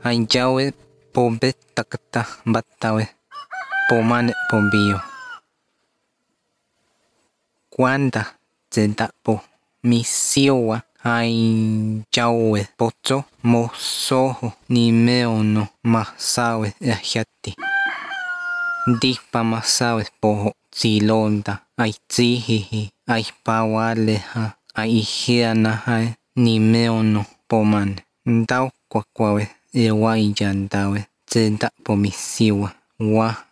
Ainyawe pombe takata batawe pomane pombio. Cuanda zentapo misiowa ainyawe pocho mosoho nimeono masawe yahati. Dipa masawe poho zilonda aizihihi aipawaleha aihianaha nimeono pomane. Ndau kwakwawe ewaiyandawe zentapo misiwa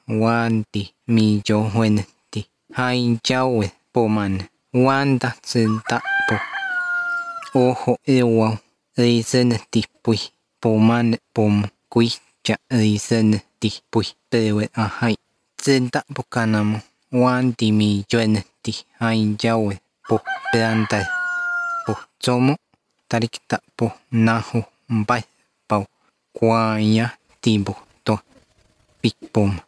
wandi miyohueneti ainyawe pomane wanda zentapo ojo ewau eiseneti pui pomane pomo kuicha eiseneti pui pewe ahai zentapo kanamo wandi miyoeneti ainyawe po peandae po zomo tarikta po nahu mbai pau kwaya timbo to pikpoma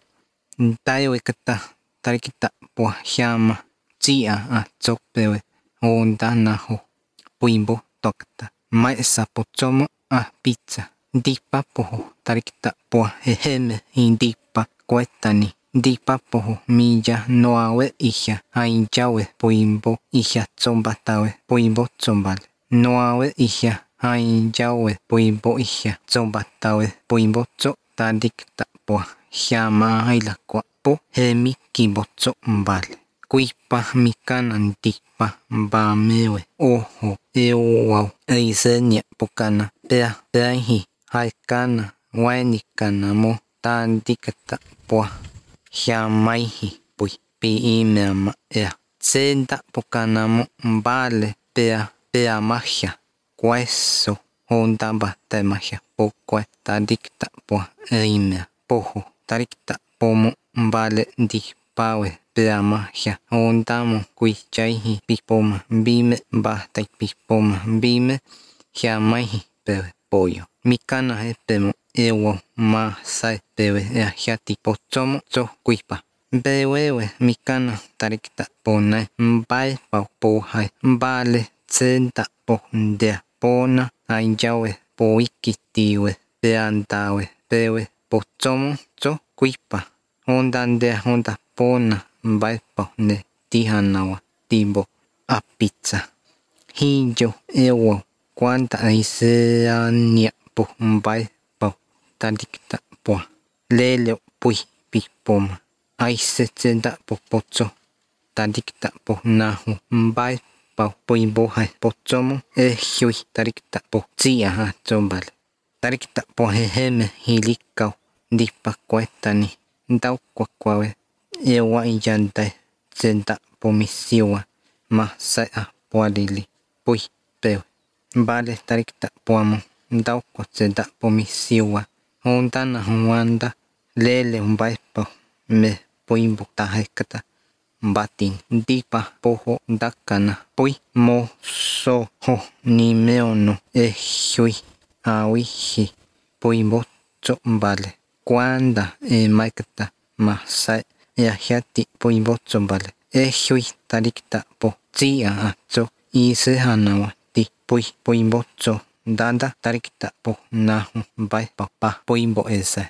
ntayo kata tarikta po hiama tia a zopewe onda nahu puimbo tokta maesa po zomo a pizza dipa po tarikta po heheme indipa kuetani dipa po miya noawe ihya ainyawe puimbo ihya zombatawe puimbo zombale noawe ihya ainyawe puimbo ihya zombatawe puimbo zo tarikta po hiama ailakwa po hemi kimbozo mbale kuipa mikana ndipa mbamewe ojo ewau eisenia pokana peahi haikana wainikana mo tandikata po hiamaihi pui piimeama ea zenda pokana mo mbale pea magia queso honda bata magia poque tandikta po eimea pojo tarikta pomo mbale ndipawe pea magia honda mo kuichaihi pipoma bime bata pipoma bime hiamaihi pewe pollo mikana hepemo ewo masai pewe eahiati pochomo zo kuipa bewewe mikana tarikta pone mbae pau pohai mbale zenda po ndea pona ainyawe poikitiwe peandawe pewe pochomo zo kuipa honda ndea honda pona mbae pau ne tihanawa timbo a pizza hiyo ewo cuanta aiseania po mbae pau tarikta po leleo pui pipoma aise zenda po pocho tarikta po nahu mbae pau puimbo hai pochomo ehiui tarikta po tia zombale tarikta po heheme hilikau dipa kuetani ndau kwakwawe ewa iyandae zenda po misiwa masai pualili pui pewe mbale tarikta poamo ndau kwa zenda po misiwa honda na wanda lele mbae pau me puimbo tahekata batin dipa poho dakana pui mo soho nimeono ehiui awihi puimbo zo mbale cuanda maikata masai eahiati puimbo zo mbale ehiui tarikta po tia zo isehanawa ti pui puimbo zo danda tarikta po nahu mbae pau pa puimbo ese